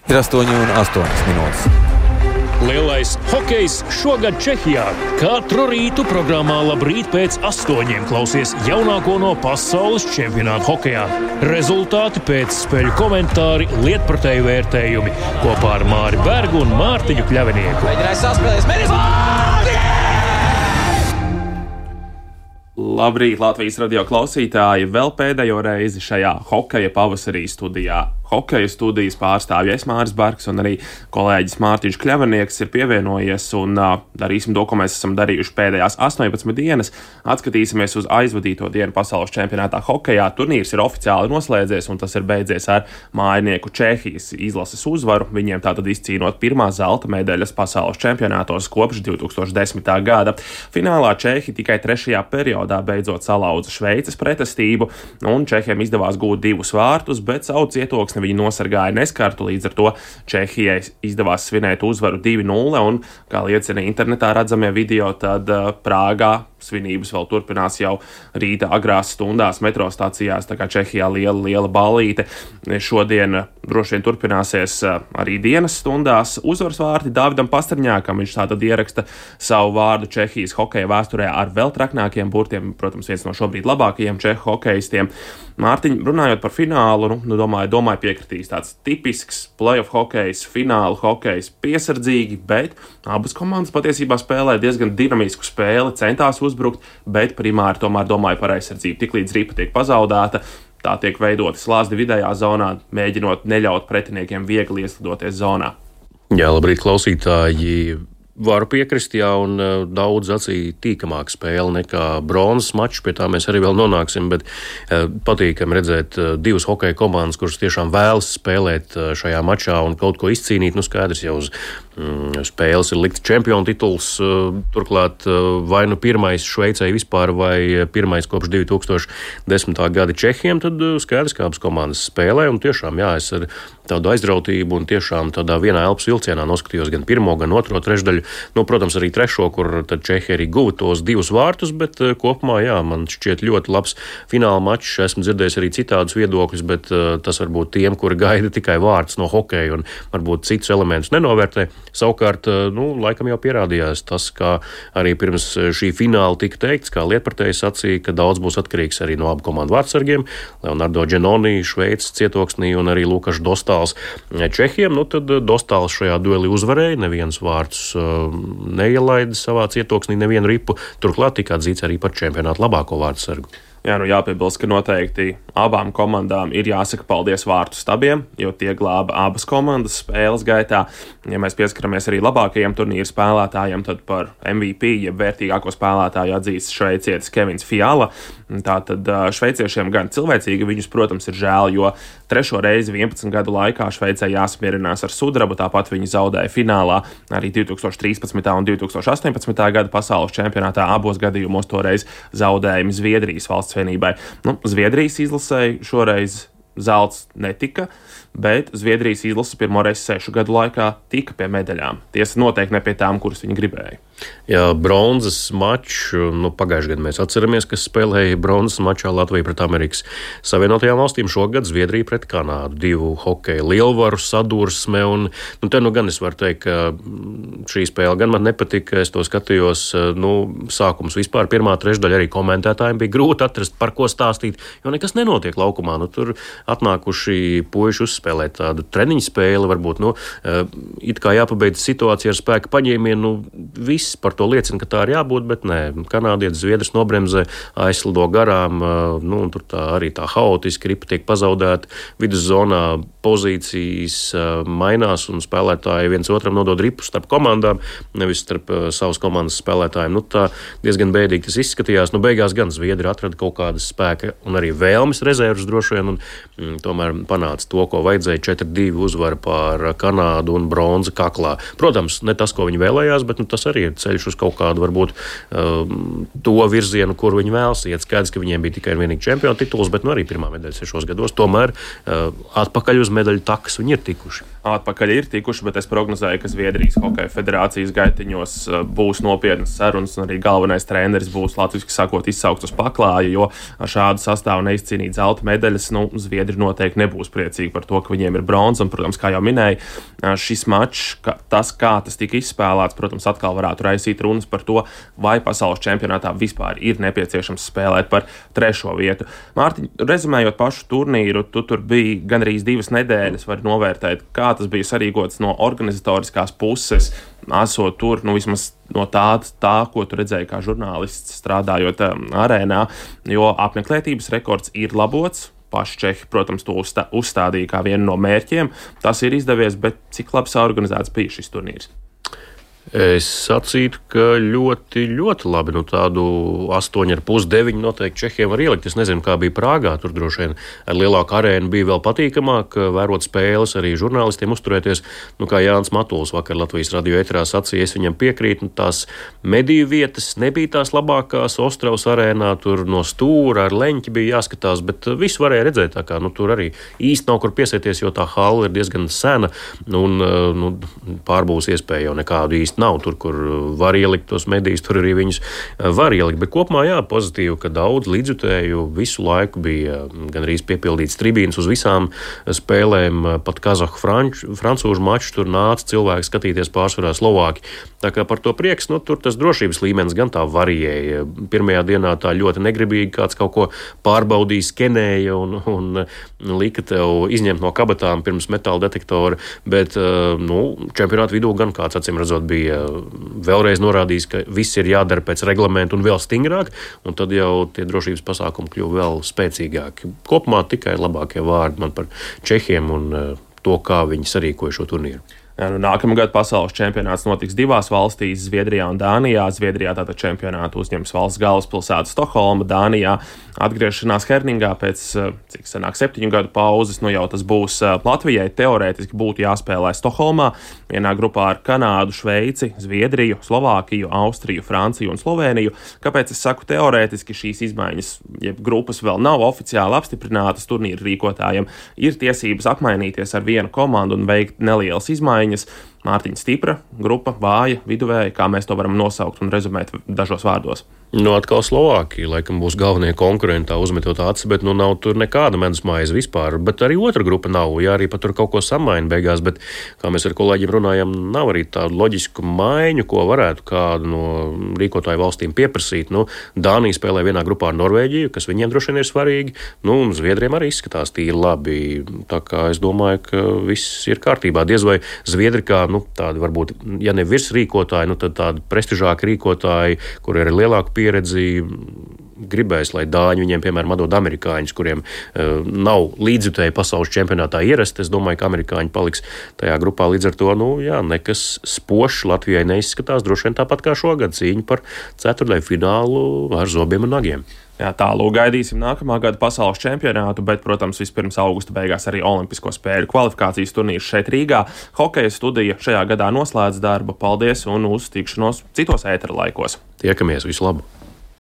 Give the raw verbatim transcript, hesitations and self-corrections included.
Ir astoņi un astoņas minūtes. Lielais hokejs šogad Čehijā. Katru rītu programmā Labrīt pēc astoņiem klausies jaunāko no pasaules čempionāta hokejā. Rezultāti pēc spēļu komentāri, lietpratēju vērtējumi kopā ar Māri Bergu un Mārtiņu Kļavinieku. Mēģināja saspēlēs, mēģinās! Labrīt, Latvijas radio klausītāji! Vēl pēdējo reizi šajā hokeja pavasarī studijā. Hokeja studijas pārstāvja es Māris Bergs un arī kolēģis Mārtiņš Kļavinieks ir pievienojies un uh, darīsim to, ko mēs esam darījuši pēdējās astoņpadsmit dienas. Atskatīsimies uz aizvadīto dienu pasaules čempionātā hokejā. Turnīrs ir oficiāli noslēdzies un tas ir beidzies ar mājinieku Čehijas izlases uzvaru. Viņiem tātad izcīnot pirmā zelta medaļas pasaules čempionātos kopš divi tūkstoši desmitā gada. Finālā Čehi tikai trešajā periodā beidzot salauza Šveices pretestību un Čehiem izdevās gūt divus vārtus, bet savu cietoksni viņi nosargāja neskartu, līdz ar to Čehijai izdevās svinēt uzvaru divi nulle un, kā liecina internetā redzamie video, tad uh, Prāgā svinības vēl turpinās jau rīta agrās stundās metro stacijās, tā kā Čehijā liela, liela ballīte. Šodien droši vien turpināsies uh, arī dienas stundās. Uzvaras vārti Davidam Pasterņākam, viņš tātad ieraksta savu vārdu Čehijas hokeja vēsturē ar vēl traknākiem burtiem, protams, viens no šobrīd labākajiem čehu hokejistiem. Mārtiņ, runājot par finālu, nu, nu domāju, domāju piekritīs tāds tipisks playoff hokejs, fināla hokejs, piesardzīgi, bet abas komandas patiesībā spēlē diezgan dinamisku spēli, centās uzbrukt, bet primāri tomēr domāju par aizsardzību. Tiklīdz ripa tiek pazaudēta, tā tiek veidota slāzdi vidējā zonā, mēģinot neļaut pretiniekiem viegli ieslidoties zonā. Jā, labrīt, klausītāji! Varu piekrist, jā, un uh, daudz acī tīkamāk spēle nekā bronzas mačs, pie tā mēs arī vēl nonāksim, bet uh, patīkami redzēt uh, divas hokeja komandas, kuras tiešām vēlas spēlēt uh, šajā mačā un kaut ko izcīnīt. Nu, skaidrs jau uz mm, spēles ir likts čempionu tituls, uh, turklāt uh, vai nu pirmais Šveicei vispār, vai pirmais kopš divi tūkstoši desmitā gada Čehiem, tad uh, skaidrs, kā abas komandas spēlē, un tiešām, jā, es ar tādu aizrautību un tiešām tādā vienā elpas vilcienā noskatījos gan pirmo, gan otro trešdaļu. Nu, protams, arī trešo, kur tad Čehi arī guva tos divus vārtus, bet uh, kopumā, jā, man šķiet ļoti labs fināla mačs. Esmu dzirdējis arī citādus viedokļus, bet uh, tas varbūt tiem, kuri gaida tikai vārtus no hokeja un varbūt citus elementus nenovērtē. Savukārt, uh, nu, laikam jau pierādījās tas, kā arī pirms šī fināla tika teikts, kā lietpratējs sacīja, ka daudz būs atkarīgs arī no abu komandu vārdsargiem. Leonardo Genoni, Šveices cietoksnī un arī Lukašs Dostāls Čehiem. Nu, tad Dostāls šajā duelī uzvarēja, neviens vārtus uh, neielaida savā cietoksnī nevienu ripu, turklāt tika atzīts arī par čempionātu labāko vārdsargu. Jā, nu jāpiebilst, ka noteikti abām komandām ir jāsaka paldies vārtu stabiem, jo tie glāba abas komandas spēles gaitā. Ja mēs pieskaramies arī labākajiem turnīru spēlētājiem, tad par M V P, jeb vērtīgāko spēlētāju atzīst šveicietis Kevins Fiala. Tātad šveiciešiem gan cilvēcīgi viņus, protams, ir žēl, jo trešo reizi vienpadsmit gadu laikā Šveicē jāsamierinās ar sudrabu, tāpat viņi zaudēja finālā arī divi tūkstoši trīspadsmitā un divi tūkstoši astoņpadsmitā gada pasaules čempionātā. Abos gadījumos toreiz zaudējumi Zviedrijas valsts vienībai. Nu, Zviedrijas izlasēji šoreiz zelts netika, bet Zviedrijas izlase pirmoreiz sešu gadu laikā tika pie medaļām. Tiesa noteikti ne pie tām, kuras viņi gribēja. Jā, bronzas mačs, nu, pagājušajā gadā mēs atceramies, kas spēlēja bronzas mačā Latvija pret Amerikas Savienotajām valstīm, šogad Zviedrija pret Kanādu, divu hokeja lielvaru sadursme, un, nu, te nu gan es varu teikt, ka šī spēle gan man nepatika, es to skatījos, nu, sākums vispār, pirmā trešdaļa arī komentētājiem bija grūti atrast, par ko stāstīt, jo nekas nenotiek laukumā, nu, tur atnākuši puiši uzspēlēt tādu treniņu spēli, varbūt, nu, it kā jāpabeidz situācija ar spēka paņēmienu, nu, viss par to liecina, ka tā ir jābūt, bet nē, kanādietis Zviedrs nobremzē, aizslido garām, nu, un tur tā arī tā haotiski ripa tiek pazaudēta, viduszonā pozīcijas mainās un spēlētāji viens otram nodod ripu starp komandām, nevis starp savas komandas spēlētājiem. Nu, tā diezgan bēdīgi tas izskatījās. Nu, beigās gan Zviedri atrada kaut kādas spēka un arī vēlmes rezervas droši vien, un mm, tomēr panāca to, ko vajadzēja, četri divi uzvara pār Kanādu un bronza kaklā. Protams, ne tas, ko viņi vēlējās, bet nu, tas arī ir ir ceļš uz kaut kādu varbūt to virzienu, kur viņi vēlas iet. Skaidrs, ka viņiem bija tikai un vienīgi čempionu tituls, bet nu arī pirmā medaļa sešos gados. Tomēr atpakaļ uz medaļu takas viņi ir tikuši. Atpakaļ ir tikuši, bet es prognozēju, ka Zviedrijas Hokeja federācijas gaitiņos būs nopietnas sarunas, un arī galvenais treneris būs latviski sakot izsaukt uz paklāja, jo ar šādu sastāvu neizcīnīt zelta medaļas, nu, Zviedri noteikti nebūs priecīgi par to, ka viņiem ir bronza, un, protams, kā jau minēju, šis mačs, ka tas, kā tas tika izspēlēts, protams, atkal varētu raisīt runas par to, vai pasaules čempionātā vispār ir nepieciešams spēlēt par trešo vietu. Mārtiņ, rezumējot pašu turnīru, tu tur biji gandrīz divas nedēļas, var novērtēt, kā tas bija sarīkots no organizatoriskās puses, esot tur, nu vismaz no tā, tā, ko tu redzēji kā žurnālists strādājot um, arēnā, jo apmeklētības rekords ir labots. Paši Čehi, protams, to uzstā, uzstādīja kā vienu no mērķiem. Tas ir izdevies, bet cik labi saorganizēts bija šis turnīrs? Es sacītu, ka ļoti, ļoti labi. Nu, tādu astoņi ar pus deviņi noteikti Čehiem var ielikt. Es nezinu, kā bija Prāgā. Tur droši vien ar lielāku arēnu bija vēl patīkamāk vērot spēles, arī žurnālistiem uzturēties. Nu, kā Jānis Matuls vakar Latvijas radio eterā sacīja, es viņam piekrītu. Nu, tās mediju vietas nebija tās labākās. Ostravas arēnā tur no stūra ar leņķi bija jāskatās, bet visu varēja redzēt. Tā kā, nu, tur arī īsti nav kur piesēties, jo tā halla ir diezgan sena un nu, pārbūs iespēja jau nekādu īsti nav. Tur, kur var ielikt tos medijas, tur arī viņus var ielikt. Bet kopumā, jā, pozitīvi, ka daudz līdzjutēju visu laiku bija gandrīz piepildīts tribīnes uz visām spēlēm. Pat kazahu franču, francūžu maču tur nāca cilvēki skatīties pārsvarā Slovāki. Tā kā par to prieks, nu, tur tas drošības līmenis gan tā variēja. Pirmajā dienā tā ļoti negribīgi kāds kaut ko pārbaudīja, skenēja un, un lika tev izņemt no kabatām pirms metāla detektora. Bet, nu, čempionāta vidū gan kāds acīm redzot bija vēlreiz norādījis, ka viss ir jādara pēc reglamentu un vēl stingrāk, un tad jau tie drošības pasākumi kļuva vēl spēcīgāki. Kopumā tikai labākie vārdi man par Čehiem un to, kā viņi sarīkoja šo turnīru. Jā, nu, nākamā gada pasaules čempionāts notiks divās valstīs, Zviedrijā un Dānijā. Zviedrijā tātad čempionātu uzņems valsts galvaspilsēta Stokholma, Dānijā atgriešanās Herningā pēc, cik sanāk, septiņu gadu pauzes. Nu jau tas būs Latvijai, teorētiski būtu jāspēlē Stokholmā, vienā grupā ar Kanādu, Šveici, Zviedriju, Slovākiju, Austriju, Franciju un Slovēniju. Kāpēc es saku teorētiski? Šīs izmaiņas, ja grupas vēl nav oficiāli apstiprinātas turnīru rīkotājiem, ir tiesības apmainīties ar vienu komandu un veikt nelielas izmaiņas. Mārtiņa stipra, grupa, vāja, viduvēja, kā mēs to varam nosaukt un rezumēt dažos vārdos. Nu, atkal Slovākija, laikam būs galvenie konkurenti, uzmetot acis, bet nu nav tur nekāda medus maize vispār. Bet arī otra grupa nav, jā, arī pat tur kaut ko samaina beigās, bet, kā mēs ar kolēģiem runājam, nav arī tādu loģisku maiņu, ko varētu kādu no rīkotāju valstīm pieprasīt. Nu, Dānija spēlē vienā grupā ar Norvēģiju, kas viņiem droši vien ir svarīgi, nu, un Zviedriem arī izskatās tīri labi. Tā kā es domāju, ka viss ir kārtībā. Diez vai Zviedri kā, nu, tādi varbūt, ja ne virs rīkotāji, nu, tad tādi prestižāki rīkotāji, kur ir lielāka pieredzi, gribēs, lai dāņi viņiem, piemēram, atdod amerikāņus, kuriem uh, nav līdzjutēji pasaules čempionātā ierasti. Es domāju, ka amerikāņi paliks tajā grupā. Līdz ar to, nu, jā, nekas spošs Latvijai neizskatās. Droši vien tāpat kā šogad cīņa par ceturtdaļu finālu ar zobiem un nagiem. Jā, tālūk gaidīsim nākamā gada pasaules čempionātu, bet, protams, vispirms augusta beigās arī olimpisko spēļu kvalifikācijas turnīrs šeit Rīgā. Hokeja studija šajā gadā noslēdz darbu. Paldies un uz tikšanos citos ētera laikos. Tiekamies, visu labu!